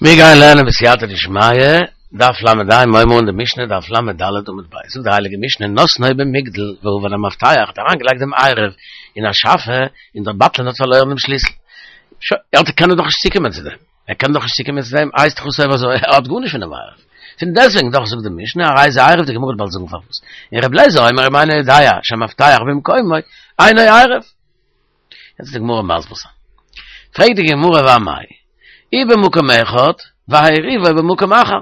מיר גייען לערנען בסייעתא דשמיא, דף ל"ה, מיר הייבן אן די משנה, דף ל"ד עמוד ב', זאגט די הייליגע משנה, נתנו במגדל ואבד המפתח, האט אריינגעלייגט דעם עירוב אין א שאפע, און דער בטלן האט פארלוירן דעם שליסל. שוין, ער קען דאך נישט צוקומען צו דעם, ער קען דאך נישט צוקומען צו דעם, הייסט דאך אויב אזוי, ער האט גארנישט פון דעם עירוב. פון דעסטוועגן דאך זאגט די משנה, הרי זה עירוב, די גמרא וועט באלד זאגן פארוואס. און רבי אליעזר אומר אם אינו יודע שהמפתח במקומו, אינו עירוב. יעצט די גמרא מסביר זיין. פרעגט די גמרא ואמאי, הוא במקום אחד ועירובו במקום אחר.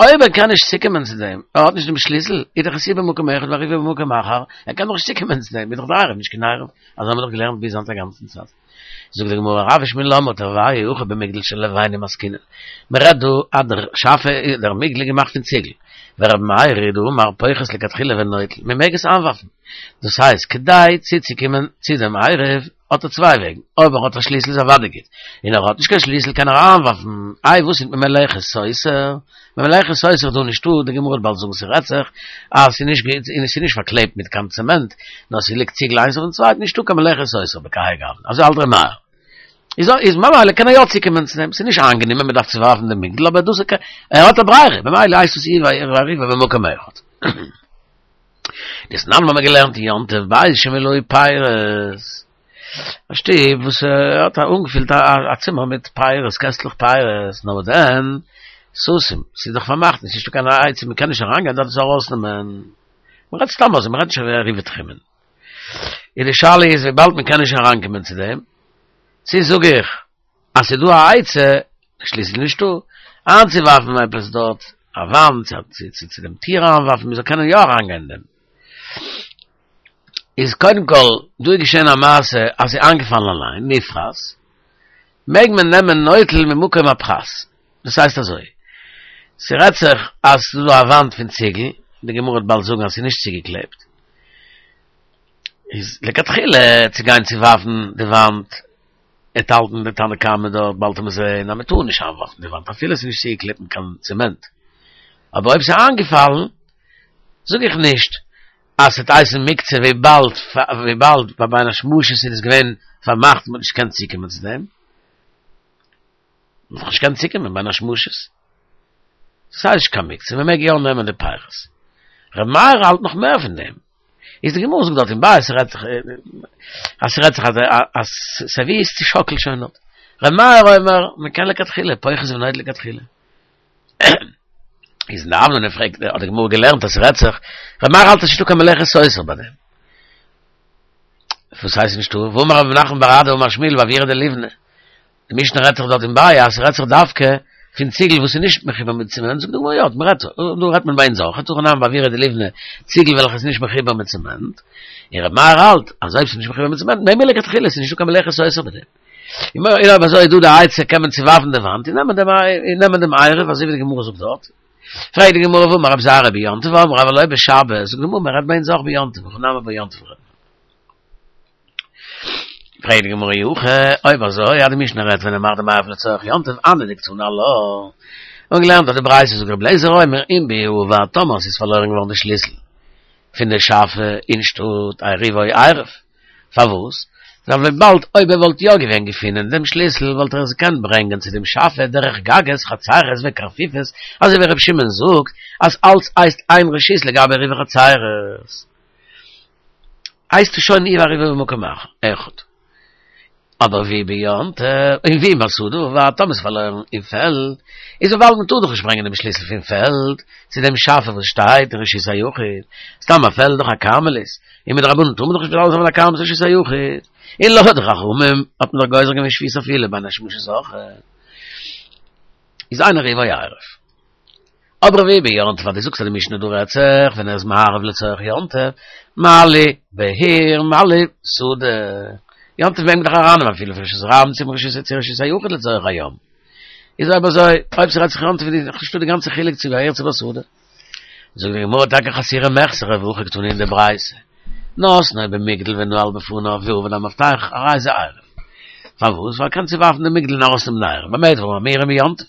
אויב ער קען נישט צוקומען צו דעם, ער האט נישט דעם שליסל, איז דאך עס הוא במקום אחד ועירובו במקום אחר, ער קען דאך נישט צוקומען צו דעם, איז דאך דער עירוב נישט קיין עירוב. אזוי האבן מיר דאך געלערנט ביז היינט א גאנצן צייט. זאגט די גמרא רב ושמואל למה תרוייהו הכא במגדל של לבנים עסקינן. מען רעדט דא אז דער שאפע, דער מגדל איז געמאכט פון ציגל. ורבי מאיר היא דאמר פוחת לכתחילה ונוטל, מען מעג עס איינווארפן. דאס הייסט, כדי צוצוקומען צו דעם עירוב האט ער צוויי וועגן, אויב ער האט א שליסל איז אוודאי גוט, און ער האט נישט קיין שליסל קען ער איינווארפן, איי וואס איז מיט מלאכת סותר? מלאכת סותר איז דא נישטא, די גמרא וועט באלד זאגן ס'רעדט זיך אז ס'איז נישט ס'איז נישט פארקלעבט מיט קיין צעמענט, נאר ס'ליגט ציגל איינס אויפן צווייטן, נישטא קיין מלאכת סותר בכהאי גוונא, אזוי האלט ר' מאיר. איז איז ממילא קען ער יא צוקומען צו דעם, ס'איז נישט איינגענומען מ'דארף צוווארפן דעם מגדל אבער דאס ער האט א ברירה, ממילא הייסט עס הוא ועירובו במקום אחד. דתנן האבן מיר געלערנט אין יום טוב בית שמילאו פירות, א שטוב וואס האט אנגעפילט א צימער מיט פירות, קעסטלעך פירות, נאר דען סתום, ס'איז דאך פארמאכט, ס'איז נישטא קיין עצה, מ'קען נישט אריינגיין דארט עס ארויסנעמען, מ'רעדט סתם אזוי, מ'רעדט נישט עירובי תחומין. און די שאלה איז וויבאלד מ'קען נישט אריינקומען צו דעם, צו זאג איך אז ס'איז דא א עצה, שליסל נישטא, איינצוווארפן עפעס דארט, א וואנט, צו צו דעם טיר איינווארפן, מ'זאל קענען יא אריינגיין אין דעם. איז קודם כל, דא איז געשען א מעשה אז ס'איז איינגעפאלן אליין, נפחת, מעג מען נעמען נוטל ממקום הפחת. דאס הייסט אזוי, ס'רעדט זיך אז ס'איז דא א וואנט פון ציגל, די גמרא וועט באלד זאגן אז ס'איז נישט צוגעקלעבט, איז לכתחילה צו גיין צוווארפן די וואנט, וועט האלטן די תנא קמא דארט באלד וועט מען זעהן אז מען טאר נישט איינווארפן די וואנט אפילו עס איז נישט צוגעקלעבט מיט קיין צעמענט, אבער אויב ס'איז איינגעפאלן זאג איך נישט אז ס'וועט הייסן מוקצה וויבאלד וויבאלד ביי בין השמשות איז עס געווען פארמאכט מ'האט נישט געקענט צוקומען צו דעם, מ'האט נישט געקענט צוקומען בין השמשות. ס'איז נישט קיין מוקצה מ'מעג יא נעמען די פירות. ר' מאיר האלט נאך מער פון דעם. איז די גמרא זאגט דארט אין ביי ס'רעדט זיך אז ס'רעדט זיך אז אז ס'ווי איז צושאקלט שוין דארט. ר' מאיר אומר מ'קען לכתחילה פוחת ונוטל לכתחילה. איז אין די אבנר פרעגט האט די גמרא געלערנט אז ס'רעדט זיך ר' מאיר האלט אז ס'נישטא קיין מלאכת סותר ביי דעם. וואס הייסט נישטא? והאמר רב נחמן בר אדא אמר שמואל באוירא דליבני. די משנה רעדט זיך דארט אין ביי אז ס'רעדט זיך דווקא פון ציגל וואס איז נישט מחובר מיט צעמענט, זאגט די גמרא יא, מ'רעדט דא רעדט מען ביי אונז אויך, הכא נמי באוירא דליבני, ציגל וועלכע איז נישט מחובר מיט צעמענט, און ר' מאיר האלט אז אויב ס'איז נישט מחובר מיט צעמענט מעג מען לכתחילה, ס'איז נישטא קיין מלאכת סותר ביי דעם. און אויב אזוי איז דא די עצה קען מען צוווארפן די וואנט און נעמען דעם און נעמען דעם עירוב אזוי ווי די גמרא זאגט דארט. פרעגט די גמרא והאמר רבי זירא ביום טוב אמרו אבל לא בשבת, זאגט די גמרא מ'רעדט ביי אונז אויך ביום טוב, הכא נמי ביום טוב רעדט מען. פרעגט די גמרא אי הכי, אויב אזוי אז די משנה רעדט ווען ער מאכט דעם עירוב לצורך יום טוב, הני דקתני עלה, און געלערנט אויף די ברייתא זאגט רבי אליעזר אומר אם בעיר אבד טאמער ס'איז פארלוירן געווארן די שליסל פון די שאפע אין שטאט עירובו עירוב, פארוואס? ווייל וויבאלד אויב ער וואלט יא געווען געפינען דעם שליסל וואלט ער עס געקענט ברענגען צו דעם שאפע דורך גגות חצרות וקרפיפות אזוי ווי רבי שמעון זאגט אז אלץ הייסט איין רשות לגבי עירובי חצרות. הייסט עס שוין הוא ועירובו במקום אחד. אבער ואי ביום טוב, און ואי בשדה אבד, טאמער ס'איז פארלוירן אין פעלד, איז וויבאלד מ'טאר דאך נישט ברענגען דעם שליסל פון פעלד צו דעם שאפע וואס שטייט אין רשות היחיד, סתם א פעלד דאך א כרמלית, און מדרבנן טאר מען דאך נישט מטלטל זיין פון א כרמלית לרשות היחיד, און לויט די חכמים האט מען דאך גוזר געווען שביתה אפילו בין השמשות אויך. איז אין עירובו עירוב. אבער ואי ביום טוב אז דו זאגסט אז די משנה דא רעדט זיך ווען ער איז מערב לצורך יום טוב, מה לי בעיר מה לי בשדה, יום טוב מעג מען דאך ארייננעמען אפילו פון רשות הרבים צום רשות צו רשות היחיד לצורך היום, איז אויב אזוי אויב ס'רעדט זיך יום טוב איז דאך נישטא די גאנצע חילוק צו בעיר צו בשדה. זאגט די גמרא טאקע חסורי מחסרא והכי קתני אין די ברייתא נתנו במגדל ונעל בפניו ואבד המפתח הרי זה עירוב פארוואס ווייל קען צוווארפן די מגדל און ארויסנעמען די עירוב במה דברים אמורים ביום טוב.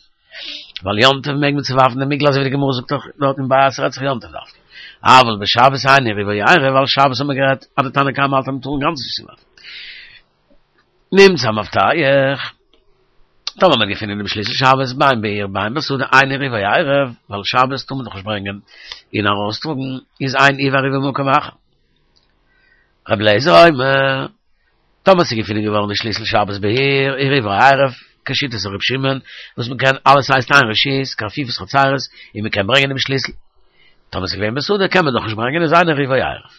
ווייל יום טוב מעג מען צוווארפן די מגדל אזוי ווי די גמרא זאגט דאך דארט אין ביי אז ס'רעדט זיך יום טוב דווקא. אבל בשבת אין עירובו עירוב ווייל שבת האט מען גערעדט אז די תנא קמא האלט אז מ'טאר אינגאנצן נישט צוווארפן. נמצא המפתח. טאמער מ'האט געפונען דעם שליסל שבת בין בעיר בין בשדה אין עירובו עירוב, ווייל שבת טאר מען דאך נישט ברענגען און ארויסטראגן, איז אין הוא ועירובו במקום אחד. רבי אליעזר אומר, טאמער ס'איז געפונען געווארן די שליסל שבת בעיר, עירובו עירוב, כשיטת ר' שמעון, וואס מ'קען אלעס הייסט איין רשות, קרפיפות חצרות, און מ'קען ברענגען דעם שליסל. טאמער ס'איז געווען בשדה קען מען דאך נישט ברענגען איז אין עירובו עירוב.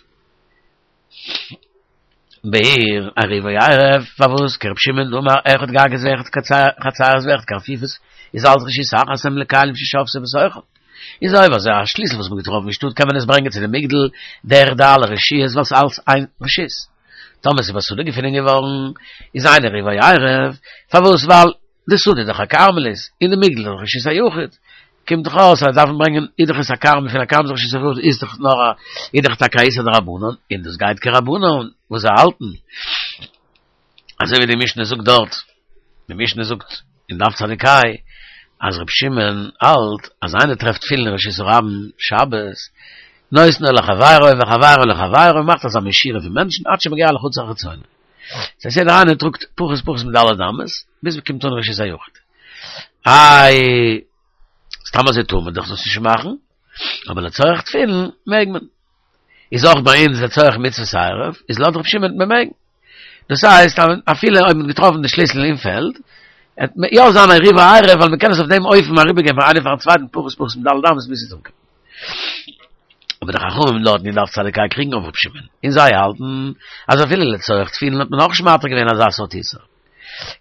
בעיר עירובו עירוב, פארוואס כר' שמעון דאמר אחד גגות ואחד חצרות ואחד קרפיפות איז אלס רשות אחת הם לכלים ששבתו בתוכן. איז אויב אזוי א שליסל וואס מ'האט געטראפן אין שטאט קען מען עס ברענגען צו די מגדל דורך די אלע רשויות ווייל ס'איז אלס איין רשות. טאמער ס'איז בשדה געפונען געווארן איז אין עירובו עירוב, פארוואס ווייל די שדה איז דאך א כרמלית און די מגדל איז דאך רשות היחיד, קומט דאך אויס אז דארף מען ברענגען איז דאך עס א כרמל פון א כרמל רשות היחיד איז דאך נאר א איז דאך טאקע א איסור דרבנן און דאס גייט כרבנן וואס זיי האלטן אזוי ווי די משנה זאגט דארט די משנה זאגט אין דף צדיק ה אז ר' שמעון האלט אז איינער טרעפט תפילין אין רשות הרבים שבת נותנו לחבירו וחבירו לחבירו מאכט אזא מין שורה פון מענטשן עד שמגיע לחצר החיצונה ס'הייסט יעדער איינער טראגט פחות פחות מד' אמות ביז מ'קומט אן רשות היחיד. איי, סתם אזוי טאר מען דאך דאס נישט מאכן, אבער לצורך תפילין מעג מען. איז אויך ביי אונז לצורך מצוות עירוב, איז לויט ר' שמעון מען מעג. דאס הייסט אפילו אויב מ'האט געטראפן די שליסל אין פעלד, עט יא זיין עירובו עירוב ווייל מ'קען עס אויף דעם אופן אריבערגיין פון איינער פארן צווייטן פחות פחות מד' אמות ביז ס'איז אנגעקומען. אבער די חכמים דארטן אין דף צדיק ה קריגן אויף ר' שמעון, און זיי האלטן אז אפילו לצורך תפילין האט מען אויך נישט מתיר געווען אזא סארט איסור.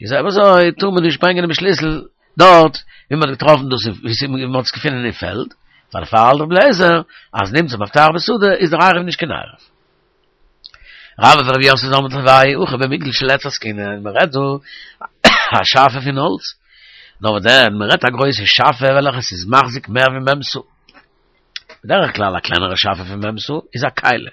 איז אויב אזוי טאר מען נישט ברענגען דעם שליסל דארט ווי מען האט געטראפן דאס ווי מען האט עס געפונען אין פעלד, פאר דערפאר האלט רבי אליעזר אז נמצא מפתח בשדה איז דער עירוב נישט קיין עירוב. רבה ורב יוסף דאמרי תרוייהו הכא במגדל של עץ עסקינן, מען רעדט דא א שאפע פון האלץ, נאר וואס דען מען רעדט א גרויסע שאפע וועלכע ס'איז מחזיק מער ווי מ' סאה. בדרך כלל א קלענערע שאפע פון מ' סאה איז א כלי.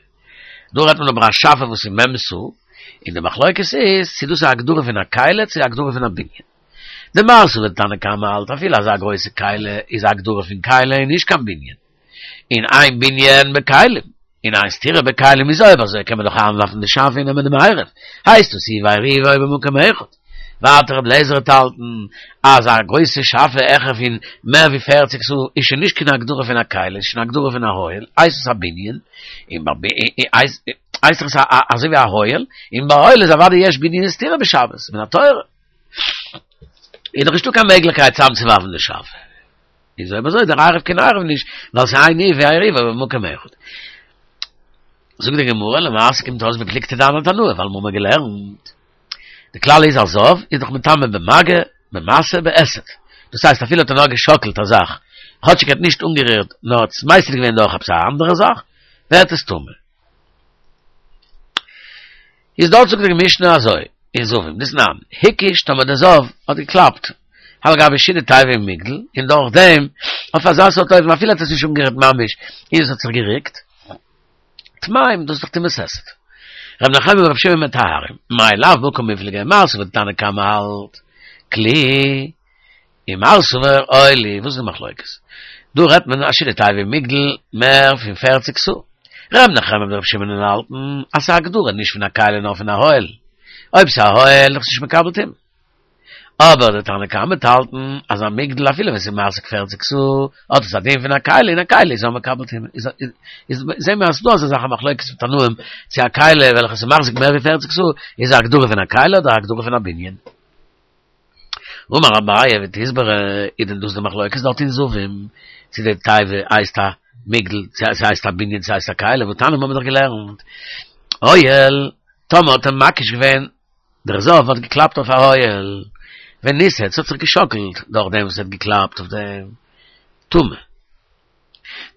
דא רעדט מען אבער א שאפע וואס איז מ' סאה, און די מחלוקת איז צו דאס איז א הגדרה פון א כלי צו א הגדרה פון א בנין. דמר סבר תנא קמא האלט אפילו אזא גרויסע כלי איז א הגדרה פון כלי און נישט קיין בנין. און אין בנין בכלים, און אין סתירה בכלים איז אויב אזוי קען מען דאך איינווארפן די שאפע און נעמען דעם עירוב, הייסט עס הוא ועירובו במקום אחד. ווייטער רבי אליעזר וועט האלטן אז א גרויסע שאפע העכער פון מער ווי פערציג סאה איז שוין נישט קיין הגדרה פון א כלי, איז שוין א הגדרה פון א אוהל, הייסט עס א בנין, און הייסט עס אזוי ווי א אוהל, און ביי אוהל איז אוודאי יש בנין וסתירה בשבת, מן התורה. איז דאך נישטא קיין מעגליכקייט צוזאמצוווארפן די שאפע. איז אויב אזוי דער עירוב קיין עירוב נישט, ווייל ס'איז אין הוא ועירובו במקום אחד. זאגט די גמרא, למעשה קומט אויס בפלוגתא דאנן תנאי, ווייל מ'האמיר געלערנט. די כלל איז א זב איז דאך מטמא במגע, במשא, בהיסט. דאס הייסט אפילו האט ער נאר געשאקלט א זאך, כאטשיג ער האט נישט אנגערירט נאר האט עס מסיט געווען דורך עפעס א אנדערע זאך, ווערט עס טמא. איז דארט זאגט די משנה אזוי, אין זבים, דתנן, הקיש טאמער דער זב האט געקלאפט על גבי שידה תיבה ומגדל, און דורך דעם, אויף אזא סארט אופן אפילו האט עס נישט אנגערירט ממש, און עס האט זיך געריקט, טמאים, דאס איז דאך טומאת היסט. ר' נחמיה ור' שמעון מטהרים, מאי לאו בהא קמיפלגי, מר סבר תנא קמא האלט, כלי, ומר סבר אוהל הוא, וואס איז די מחלוקת? דא רעדט מען א שידה תיבה ומגדל מער פון פערציג סאה. ר' נחמיה מיט ר' שמעון האלטן אז ס'איז א הגדרה נישט פון א כלי נאר פון א אוהל. אויב ס'איז א אוהל איז נישט מקבל טומאה. אבער די תנא קמא וועט האלטן אז א מגדל אפילו ווען ס'איז מחזיק פערציג סאה האט עס א דין פון א כלי און א כלי איז יא מקבל טומאה. איז זעהן מיר אז ס'דא אזא זאך א מחלוקת פון תנאים צו א כלי וועלכע ס'איז מחזיק מער ווי פערציג סאה איז א הגדרה פון א כלי אדער א הגדרה פון א בנין. אמר אביי ותסברא איז דען דאס די מחלוקת דארט אין זבים צו די תיבה הייסט א מגדל צו ס'הייסט א בנין צו ס'הייסט א כלי והתניא האבן מיר דאך געלערנט אוהל טאמער האט ער מקיש געווען דער זב האט געקלאפט אויף א אוהל וניסת ס'האט זיך געשאקלט דורך דעם וואס ער האט געקלאפט אויף דעם טמא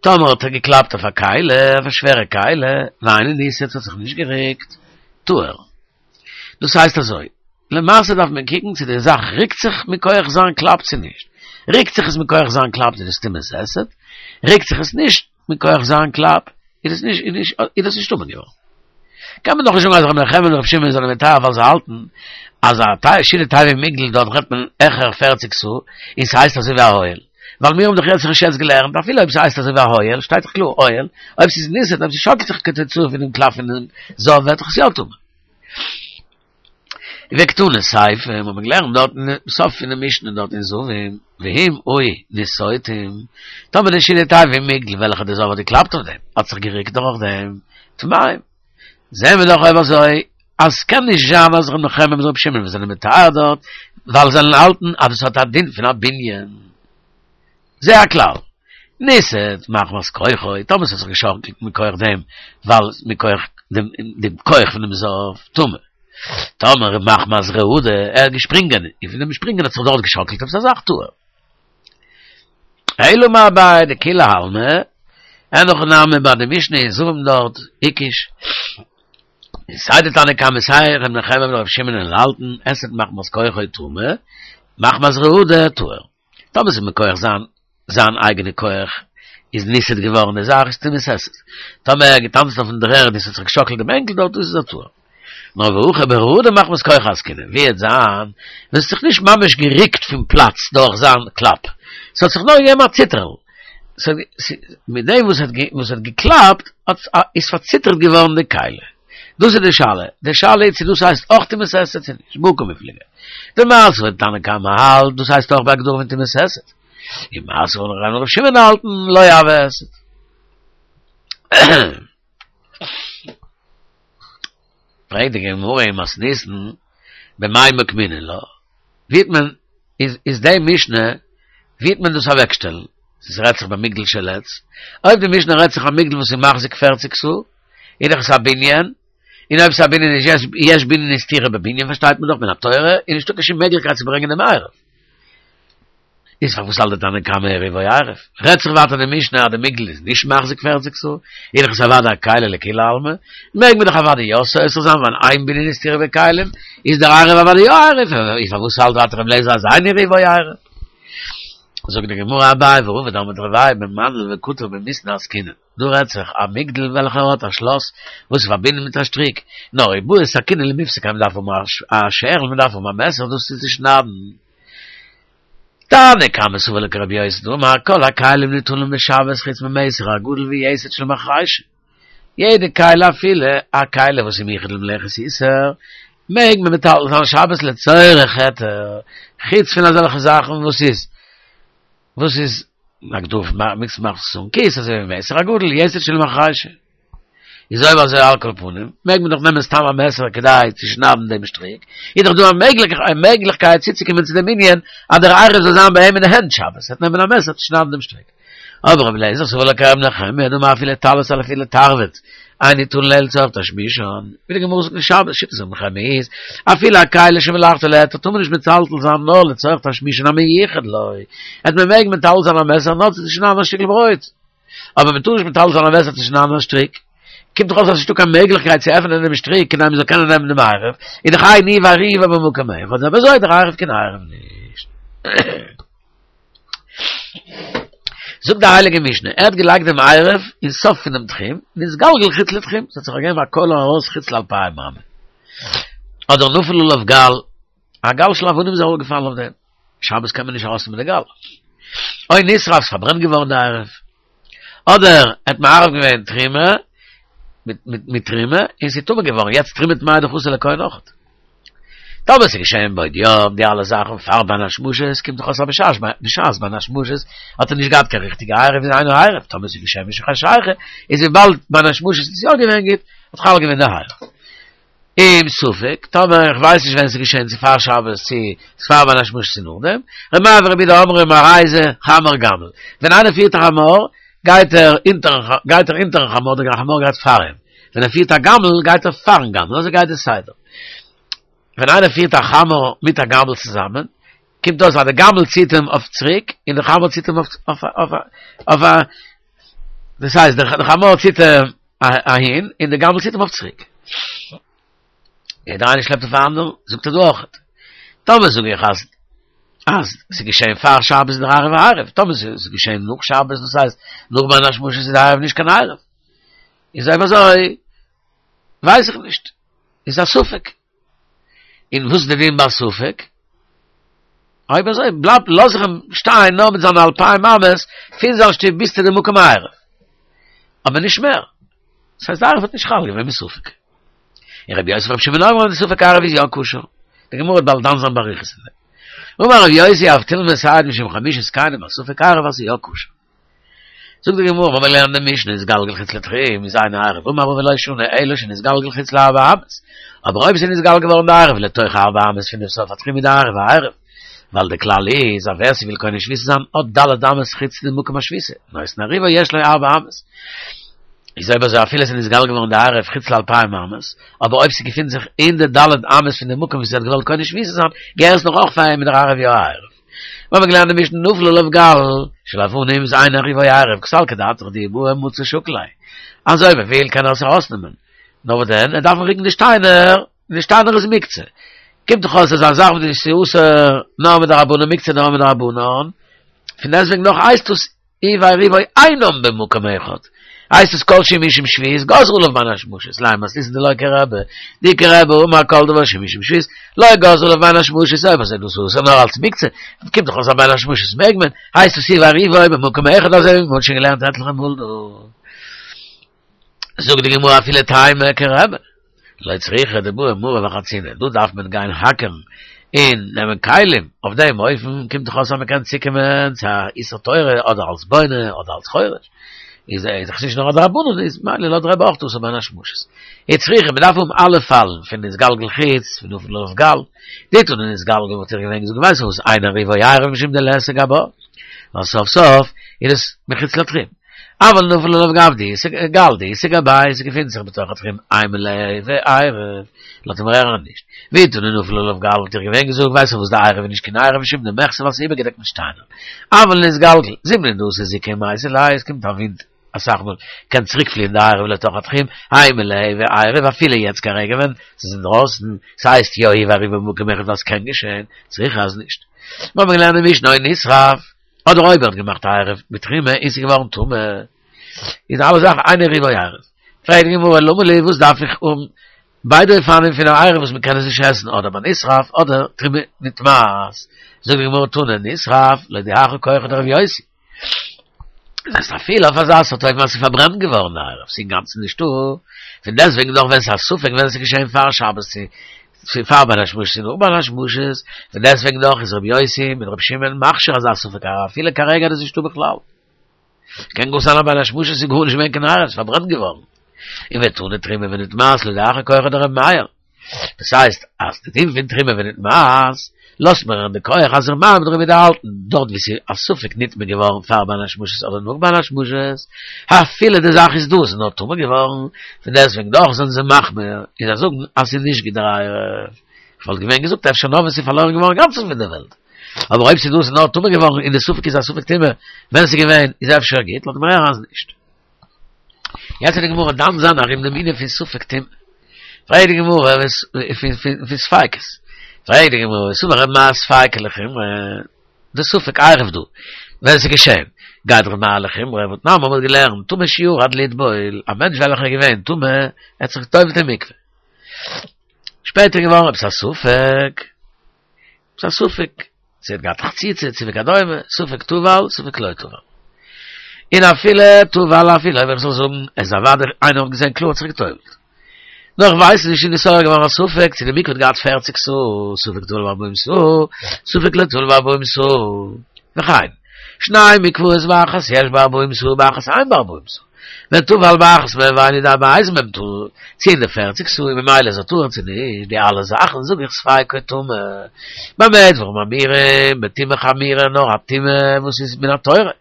טאמער האט ער געקלאפט אויף א כלי אויף א שווערע כלי ואינו ניסת ס'האט זיך נישט געריקט טהור דאס הייסט אזוי, למעשה דארף מען קוקן צו די זאך ריקט זיך מכח זיין קלאפ צו נישט. ריקט זיך עס מכח זיין קלאפ איז עס טומאת היסט, ריקט זיך עס נישט מכח זיין קלאפ איז עס נישט איז דאס נישט טמא געווארן. קען מען דאך נישט זאגן אז ר' נחמיה און ר' שמעון זענען מטהר ווייל זיי האלטן אז א שידה תיבה ומגדל דארט רעדט מען העכער פערציג סאה און ס'הייסט אזוי ווי א אוהל. ווייל מיר האבן דאך יעצט ערשט יעצט געלערנט אפילו אויב ס'הייסט אזוי ווי א אוהל שטייט דאך קלאר אוהל, אויב ס'איז ניסת אויב ס'שאקלט זיך כתוצאה פונעם קלאפ פונעם זב ווערט דאך עס יא טמא. וקתני סיפא, האט מען געלערנט דארט אין סוף פונעם משנה דארט אין זבים, ואם היו נסותים, טאמער די שילוט תיבה ומגדל וועלכע די זב האט געקלאפט אויף דעם, האט זיך געריקט דורך דעם, טמאים. זעהן מיר דאך אויב אזוי אז ס'קען נישט זיין אז ר' נחמיה מיט ר' שמעון וואס זענען מטהר דארט, ווייל זיי האלטן אז עס האט א דין פון א בנין. זה הכלל. ניסת מחמת כוחו, טאמער ס'האט זיך געשאקלט מכח דעם, ווייל מכח דעם דעם כח פונעם זב, טמא. טאמער מחמת רעדה, ער האט געשפרינגען, און פון דעם שפרינגען האט זיך דארט געשאקלט עפעס א זאך, טהור. אלא אמר אביי דכולי עלמא, אין הכי נמי ביי די משנה אין זבים דארט, הקיש. סיי די תנא קמא סיי ר' נחמיה און ר' שמעון האלטן, הסיט מחמת כוחו טמא, מחמת רעדה טהור. טאמער ס'איז מכח זיין זיין אייגענע כח איז ניסת געווארן די זאך איז טומאת היסט. טאמער ער האט געטאנצן אויפן דר'ערד און ס'האט זיך געשאקלט דעם בענקל דארט דאס איז א טהור. נאר והכא ברעדה מחמת כוחו עסקינן ווי וועט זיין ווען ס'האט זיך נישט ממש געריקט פון פלאץ דורך זיין קלאפ ס'האט זיך נאר געגעבן א ציטערל מיט דעם וואס וואס האט געקלאפט האט איז פארציטערט געווארן די כלי. דאס איז די שאלה, די שאלה איז צו דאס הייסט אויך טומאת היסט צו נישט, בהא קמיפלגי. דמר סבר תנא קמא האלט דאס הייסט אויך בהגדרה פון טומאת היסט. און מר סבר ר' שמעון האלטן לא הוי היסט. פרעגט די גמרא אין מתניתין במאי מוקמינן לה, ווי האט מען איז איז די משנה ווי האט מען דאס אוועקשטעלן? ס'רעדט זיך במגדל של עץ, אויב די משנה רעדט זיך א מגדל וואס איז מחזיק פערציג סאה, איז דאך עס א בנין, און אויב ס'איז א בנין איז יש יש בנין איז סתירה בבנין פארשטייט מען דאך מן התורה, איז נישטא קיין שום מעגליכקייט צו ברענגען דעם עירוב. איז פארוואס האלט די תנא קמא עירובו עירוב? רעדט זיך ווייטער די משנה אז די מגדל איז נישט מחזיק פערציג סאה, איז דאך עס אוודאי א כלי לכולי עלמא, מעג מען דאך אוודאי יא סותר זיין ווייל אין בנין איז סתירה בכלים, איז דער עירוב אוודאי יא עירוב, איז פארוואס האלט ווייטער רבי אליעזר אז אין עירובו עירוב? זאגט די גמרא אביי ורבא דאמרי תרוייהו במנעל וקטר במיתנא עסקינן. דא רעדט זיך א מגדל וועלכער האט א שלאס וואס איז פארבינדן מיט א שטריק, נאר אי בעי סכינא למיפסקיה מען דארף האבן א שערל מען דארף האבן א מעסער דאס צו צושניידן. תנא קמא סבר לה כרבי יוסי דאמר כל הכלים ניטלין בשבת חוץ ממיסר הגדול ויתד של מחרישה, יעדע כלי אפילו א כלי וואס איז מיוחד למלאכת איסור מעג מען מטלטל זיין שבת לצורך היתר, חוץ פון אזעלכע זאכן וואס איז וואס איז מ'דארף מאכן חסרון כיס אזוי ווי מיסר הגדול יתד של מחרישה איז אויב אזוי על כל פנים מעג מען דאך נעמען סתם א מעסער כדי צו שניידן דעם שטריק איז דאך דא א מעגליכקייט צוצוקומען צו דעם ענין אז דער עירוב זאל זיין ביי אים אין די הענט שבת ער וועט נעמען א מעסער צו שניידן דעם שטריק אבער רבי אליעזר סבר לה כרבי נחמיה דאמר אפילו טלית אפילו תרווד אין ניטלין אלא לצורך תשמישן, ווי די גמרא זאגט אין שבת, שיטת רבי נחמיה איז, אפילו א כלי שמלאכתו להיתר טאר מען נישט מטלטל זיין נאר לצורך תשמישן המיוחד לו, אז מען מעג מטלטל זיין א מעסער נאר צו שניידן א שטיקל ברויט, אבער מען טאר נישט מטלטל זיין א מעסער צו שניידן א שטריק, קומט דאך אויס אז ס'נישטא קיין מעגליכקייט צו עפענען דעם שטריק כדי מען זאל קענען נעמען דעם עירוב, איז דאך אין ניעור ועירובו במקום אחד, אויב אזוי איז דער עירוב קיין עירוב נישט. זאגט די הייליגע משנה, ער האט געלייגט דעם עירוב אין סוף פונעם תחום, נתגלגל חוץ לתחום, ס'האט זיך געגעבן א קוילער ארויס חוץ לאלפיים אמה. אדער נפל עליו גל, א גל של אבנים איז אראפגעפאלן אויף דעם, שבת קען מען נישט ארויסנעמען די גל. או נשרף, ס'איז פארברענט געווארן די עירוב. אדער ער האט מערב געווען תרומה מיט תרומה און ס'איז טמא געווארן, יעצט תרומה טמאה איז דאך אסור לכהן אויכעט. טאמער ס'איז געשען בעוד יום די אלע זאכן פאר בין השמשות קומט דאך אויס אז בשעת בשעת בין השמשות האט ער נישט געהאט קיין ריכטיגע עירוב איז אינו עירוב, טאמער ס'איז געשען משחשיכה איז וויבאלד בין השמשות איז יא געווען גוט האט חל געווען די עירוב. אם ספק, טאמער איך ווייס נישט ווען ס'איז געשען צו פאר שבת צו פאר בין השמשות צו נאכדעם, ר' מאיר ורבי יהודה אומרים הרי זה חמר גמל, ווען איינער פירט א חמור גייט ער אונטערן גייט ער אונטערן חמור דער חמור גייט פאר אים, ווען ער פירט א גמל גייט ער פארן גמל, אזוי גייט די סדר. ווען איינער פירט א חמור מיט א גמל צוזאמען, קומט אויס אז די גמל ציט אים אויף צוריק און די חמור ציט אים אויף אויף אויף א דאס הייסט די חמור ציט אים אהין און די גמל ציט אים אויף צוריק. יעדער איינער שלעפט אויפן אנדערן, זאגט ער דא אויכעט. טאמער זאג איך אז אז ס'איז געשען פאר שבת איז דער עירוב א עירוב, טאמער ס'איז געשען נאך שבת דאס הייסט נאך בין השמשות איז דער עירוב נישט קיין עירוב. איז אויב אזוי ווייס איך נישט. איז א ספק. און וואס איז די דין ביי ספק? אויב אזוי בלייבט לאז איך אים שטיין נאר מיט זיינע אלפיים אמות פון זיין שטוב ביז צו די מקום העירוב. אבער נישט מער. דאס הייסט די עירוב האט נישט חל געווען מספק. און רבי יוסי ורבי שמעון אומרים די ספק עירוב איז יא כשר. די גמרא וועט באלד דן זיין באריכות אין דעם. אמר רבי יוסי אבטולמוס מסייע משום חמשה זקנים א ספק עירוב אז ס'איז יא כשר. זאגט די גמרא מ'האמיר געלערנט די משנה נתגלגל חוץ לתחום איז אינו עירוב אמר רבא ולא שנו אלא שנתגלגל חוץ לארבע אמות אבער אויב ס'איז נתגלגל געווארן די עירוב לתוך ארבע אמות פון די סוף התחום איז די עירוב א עירוב ווייל די כלל איז אז ווער ס'וויל קונה שביתה זיין האט ד' אמות חוץ די מקום השביתה נותן עירובו יש לו ארבע אמות איז אויב אזוי אפילו ס'איז נתגלגל געווארן די עירוב חוץ לאלפיים אמות אבער אויב ס'געפינט זיך אין די ד' אמות פון די מקום וואס ער האט געוואלט קונה שביתה זיין געהער עס נאך אויך פאר אים איז דער עירוב יא א עירוב. מיר האבן געלערנט די משנה נפל עליו גל של אבנים איז אין עירובו עירוב קא סלקא דעתך דאי בעי מצי שקיל ליה אז אויב ער וויל קען ער עס ארויסנעמען נאר וואס דען ער דארף רוקן די שטיינער און די שטיינער איז מוקצה קומט דאך אויס אז א זאך וואס איז אסור נאר מדרבנן מוקצה נאר מדרבנן פון דעסטוועגן נאך הייסט עס היא ועירובו אינם במקום אחד. הייסט עס כל שהוא משום שבות, גזרו עליו בין השמשות, לימא מתניתין דלא כרבי, דאי כרבי אמר כל דבר שהוא משום שבות, לא גזרו עליו בין השמשות, אויב אזוי דאס אסור נאר אלס מוקצה, קומט דאך אויס אז בין השמשות מעג מען, הייסט עס הוא ועירובו במקום אחד אזוי ווי מ'האט שוין געלערנט עטליכע מאל דא. זאגט די גמרא אפילו תימא כרבי, לא צריכא דבעי מרא וחצינה, דא דארף מען גיין האקערן און נעמען כלים, אויף דעם אופן קומט דאך אויס אז מען קען צוקומען צו א איסור תורה אדער אלס בונה אדער אלס חורש, איז דאך נישט נאר א דרבנן, איז ממילא לויט רבי אויך אסור בין השמשות. איצטריכא, מען דארף האבן אלע פאלן פון נתגלגל חוץ, פון נפל עליו גל, דאי תנא נתגלגל וואלט איך געווען געזאגט ווייסט וואס אין עירובו עירוב משום דליתא גבה, ווייל סוף סוף איז עס מחוץ לתחום. אבל נפל עליו גב דאיתא גל דאיתא גביה ס'געפינט זיך בתוך התחום אימא ליהוי עירוב לויט דעם רערן נישט ואי תנא נפל עליו גל וואלט איך געווען געזאגט ווייסט וואס די עירוב איז נישט קיין עירוב משום דמחסר ווייל ס'איז איבערגעדעקט מיט שטיינער אבל נתגלגל זימנין דאתי זיקא ומייתי ליה עס קומט א ווינט אסאך מאל קען צוריק פליען די עירוב לתוך התחום אימא ליהוי עירוב אפילו יעצט כרגע ווען ס'איז אינדרויסן ס'הייסט יא הוא ועירובו במקום אחד ווייל ס'קען געשען צריכא אז נישט מ'האבן געלערנט אין משנה או נשרף. אדער אויב ער האט געמאכט א עירוב בתרומה און ס'איז געווארן טמא, איז אלע זאכן אין עירובו עירוב. פרעגט די גמרא למה לי וואס דארף איך האבן ביידע אופנים פון א עירוב וואס מ'קען עס נישט עסן אדער ביי נשרף אדער תרומה נטמאת, זאגט די גמרא תנא נשרף להודיעך כחו דרבי יוסי. דאס הייסט אפילו אויף אזא סארט אופן אז ס'איז פארברענט געווארן די עירוב, ס'איז אינגאנצן נישטא, פון דעסטוועגן דאך ווען ס'איז א ספק ווען עס איז געשען פאר שבת צו צו פאר בין השמשות און נאך בין השמשות, פון דעסטוועגן דאך איז רבי יוסי מיט רבי שמעון מכשיר אזא ספק עירוב אפילו כרגע איז נישטא בכלל. קען גאר זיין אז בין השמשות איז גארנישט געווען קיין עירוב, ס'איז פארברענט געווארן. און ותנא תרומה ונטמאת להודיעך כחו דרבי מאיר. דאס הייסט אז די דין פון תרומה ונטמאת לאזט מיר הערן די כח אז ר' מאיר מיט רבי יהודה האלטן דארט ווי ס'איז א ספק נטמא געווארן פאר בין השמשות אדער נאך בין השמשות, אפילו די זאך איז דא ס'איז נאר טמא געווארן, פון דעסטוועגן דאך זענען זיי מחמיר און זיי זאגן אז ס'איז נישט געדער עירוב. כ'וואלט געווען געזאגט אפשר נאר ווען ס'איז פארלוירן געווארן אינגאנצן פון די וועלט, אבער אויב ס'איז דא ס'איז נאר טמא געווארן און די ספק איז א ספק טומאה ווען ס'איז געווען איז אפשר גוט, לאזט מיר הערן אז נישט. יעצט וועט די גמרא דן זיין ארום דעם ענין פון ספק טומאה. פרעגט די גמרא פון ספיקות. פרעגט די גמרא וסבר ר' מאיר ספיקא לחומרא, די ספק עירוב דא, ווען עס איז געשען, גייט ר' מאיר לחומרא, והתנן מ'האט געלערנט, טמא שירד לטבול, א מענטש וועלכער איז געווען טמא, ער האט זיך געטובל'ט אין מקווה. שפעטער איז געווארן עפעס א ספק, ס'איז א ספק, צו ער האט געהאט חציצה, צו וכדומה, ספק טבל, ספק לא טבל. און אפילו טבל, אפילו אויב איך זאל זאגן, עס איז אוודאי, איינער האט געזען קלאר האט זיך געטובלט. נאר איך ווייס נישט איז נתעורר געווארן א ספק, צו די מקווה האט געהאט פערציג סאה, ספק טבל בארבעים סאה, ספק לא טבל בארבעים סאה. וכן, שני מקוואות באחת יש בה ארבעים סאה ובאחת אין בה ארבעים סאה. וטבל באחת מהן ואינו יודע באיזה מהן טבל, צו אין די פערציג סאה און ממילא איז ער טהור צו נישט, די אלע זאכן זאג איך ספיקו טמא. במה דברים אמורים, בטומאה חמורה נאר א טומאה וואס איז מן התורה.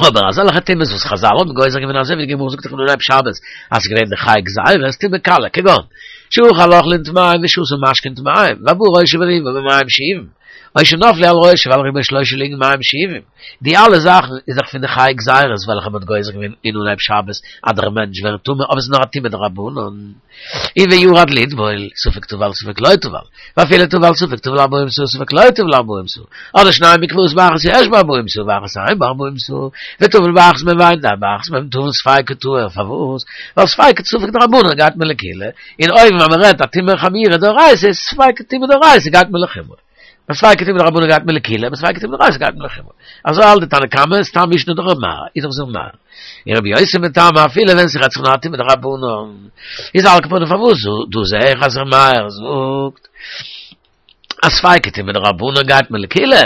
אבער אזעלכע טומאות וואס חזל האבן גוזר געווען אזוי ווי די גמרא זאגט דאך אין אנהייב שבת אז ס'איז געווען די חי גזירות טומאה קלה כגון שאכל אוכלים טמאים ושתה משקין טמאים ובא ראשו ורובו במים שאובים או שנפלו על ראשו ועל רובו שלושה לוגין מים שאובים די אלע זאכן איז דאך פון די חי גזירות וועלכע מ'האט גוזר געווען אין אנהייב שבת אז דער מענטש ווערט טמא אבער ס'איז נאר א טומאה דרבנן. און וירד לטבול, ספק טבל ספק לא טבל, ואפילו טבל ספק טבל ארבעים סאה ספק לא טבל ארבעים סאה, אדער שני מקוואות באחת יש בה ארבעים סאה ובאחת אין בה ארבעים סאה, וטבל באחת מהן ואינו יודע באחת מהן טבל ספיקו טהור, פארוואס? ווייל ספיקא ספק דרבנן גייט מען לקולא, און אויבן ווען מ'רעדט א טומאה חמורה דאורייתא איז ספיקא טומאה דאורייתא גייט מען לחומרא. ביי ספיקא טומאה דרבנן גייט מען לקולא, ביי ספיקא טומאה דאורייתא גייט מען לחומרא. אזוי האלט די תנא קמא, סתם משנה דר' מאיר, איז דאך ר' מאיר. און רבי יוסי מטעמא אפילו ווען ס'רעדט זיך נאר א טומאה דרבנן. איז על כל פנים פארוואס דא זעה איך אז ר' מאיר זאגט אז ספיקא טומאה דרבנן גייט מען לקולא,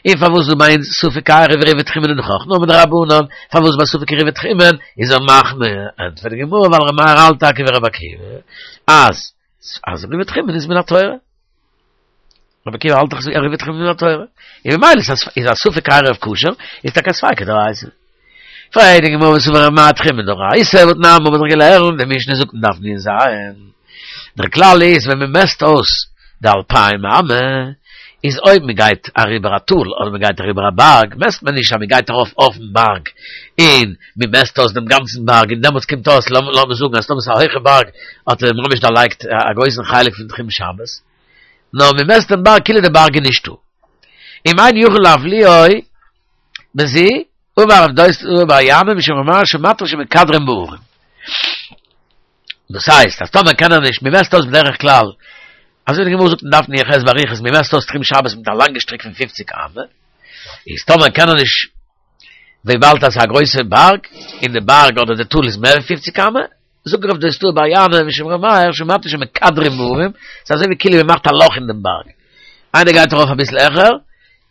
און פארוואס דא ביי אונז ספק עירוב עירובי תחומין איז דאך אויך נאר מדרבנן, פארוואס ביי ספק עירובי תחומין איז ער מחמיר? ענטפערט די גמרא ווייל ר' מאיר האלט טאקע ווי רבי עקיבא אז אז עירובי תחומין איז מן התורה. רבי עקיבא האלט דאך אז עירובי תחומין איז מן התורה. און ממילא איז א ספק עירוב כשר, איז טאקע א ספיקא דאורייתא. פרעגט די גמרא וסבר ר' מאיר תחומין דאורייתא, והתנן האבן מיר דאך געלערנט, די משנה זאגט אין דף נ"ז, דער כלל איז ווען מען מעסט אויס די אלפיים אמה, איז אויב מען גייט אריבער א טאל אדער מען גייט אריבער א בארג, מעסט מען נישט אז מען גייט ארויף אויפן בארג און מען מעסט אויס דעם גאנצן בארג און דעמאלטס קומט אויס, לאמיר זאגן אז טאמער ס'איז א הויכע בארג האט ער ממש דערלייגט א גרויסן חלק פון תחום שבת, נאר מען מעסט דעם בארג כאילו דער בארג איז נישטא. אם אין יכול להבליעו בזו, אמר רב דוסתאי בר ינאי משום ר' מאיר שמעתי שמקדרין בהרים. דאס הייסט אז טאמער קען ער נישט, מען מעסט אויס בדרך כלל, אזוי ווי די גמרא זאגט אין דף נ"ח באריכות, מען מעסט אויס תחום שבת מיט א לאנגע שטריק פון פופציג אמה, איז טאמער קען ער נישט, וויבאלד אז ס'איז א גרויסע בארג, און די בארג אדער די טאל איז מער ווי פופציג אמה, זאגט רב דוסתאי בר ינאי משום ר' מאיר שמעתי שמקדרין בהרים, ס'איז אזוי ווי כאילו מען מאכט א לאך אין דעם בארג, איינער גייט ארויף אביסל העכער,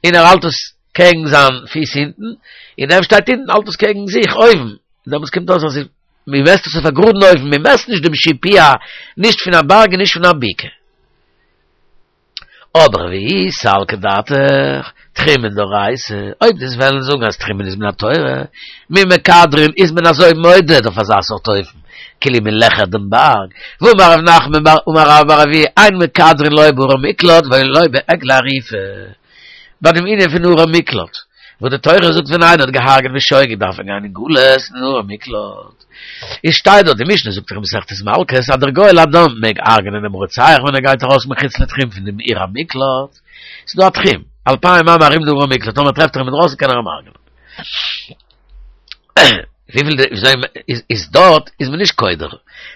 און ער האלט עס קעגן זיין פיס אונטן, און דער וואס שטייט אונטן האלט עס קעגן זיך אויבן, דעמאלטס קומט אויס אז מען מעסט עס אויף א גראדן אופן, מען מעסט נישט דעם שיפוע נישט פון א בארג און נישט פון א בקעה. אבער ואי סלקא דעתך, תחומין דאורייתא, אויב דו'סט וועלן זאגן אז תחומין איז מן התורה, מי מקדרין איז מען אזוי מודד אויף אזא סארט אופן, כאילו מען לעכערט דעם בארג, והאמר רב נחמן בר אמר רבה בר אבוה אין מקדרין לא בערי מקלט ולא בעגלה ערופה. ביי דעם ענין פון ערי מקלט, וואס די תורה זאגט ווען איינער האט געהארגעט בשוגג דארף ער גיין אין גלות אין ערי מקלט, איז שטייט דארט, די משנה זאגט דאך אין מסכת מלקות אז דער גואל הדם מעג הרג'נען דעם רוצח ווען ער גייט ארויס מחוץ לתחום פון דעם עיר המקלט, ס'איז דא א תחום, אלפיים אמה ארום די ערי מקלט, טאמער טרעפט ער אים אינדרויסן קען ער אים הרג'נען. וויפיל די וויאזוי איז איז דארט איז מען נישט קודר,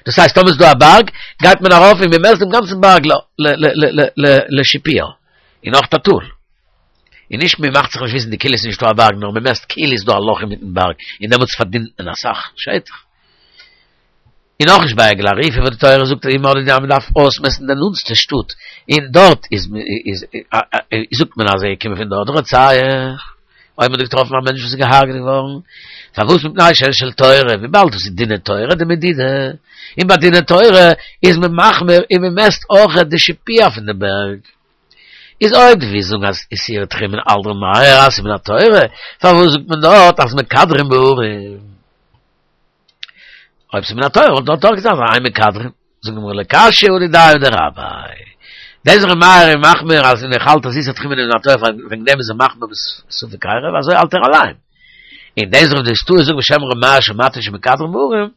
דאס הייסט טאמער איז דא א בארג גייט מען ארויף און מען מעסט דעם גאנצן בארג ל ל ל ל לשיפוע. און אויך א טאל. און נישט מען מאכט זיך נישט וויסן די כאילו ס'איז נישטא א בארג נאר מען מעסט כאילו איז דא א לאך אינמיטן בארג און דעמאלטס פארדינט מען אסאך שטח. און אויך נישט ביי עגלה ערופה וואס די תורה זאגט אז מען דארף אויסמעסטן די נאנטסטע שטאט און דארט איז איז זאגט מען אז ער איז געקומען פון דארט די רוצח. אויב מען האט געטראפן א מענטש וואס איז געהארגעט געווארן, פארוואס מפני שהן של תורה, וויבאלד דאס איז דיני תורה די מדידה, און ביי דיני תורה איז מען מחמיר און מען מעסט אויך די שיפוע פון די בערג. איז אויב דו ווילסט זאגן אז איסורי תחומין האלט ר' מאיר אז ס'איז מן התורה, פארוואס זאגט מען דארט אז מקדרין בהרים? אויב ס'איז מן התורה וואלט דארט אויך געזאגט אז אין מקדרין. זאגט די גמרא לא קשיא הא דידיה הא דרביה. דאס ר' מאיר איז מחמיר אז ער האלט אז איסור תחומין איז מן התורה וועגן דעם איז ער מחמיר בספק עירוב אזוי האלט ער אליין. און דאס רב דוסתאי זאגט בשם ר' מאיר שמעתי שמקדרין בהרים,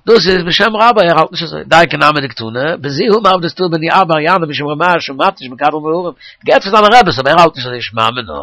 דאס איז בשם רביה ער האלט נישט אזוי. דייקא נמי דקתני, בזו אמר רב דוסתאי בן בר ינאי משום ר' מאיר שמעתי שמקדרין בהרים. געהערט פון זיינע רעבעס אבער ער האלט נישט אזוי שמע מינה.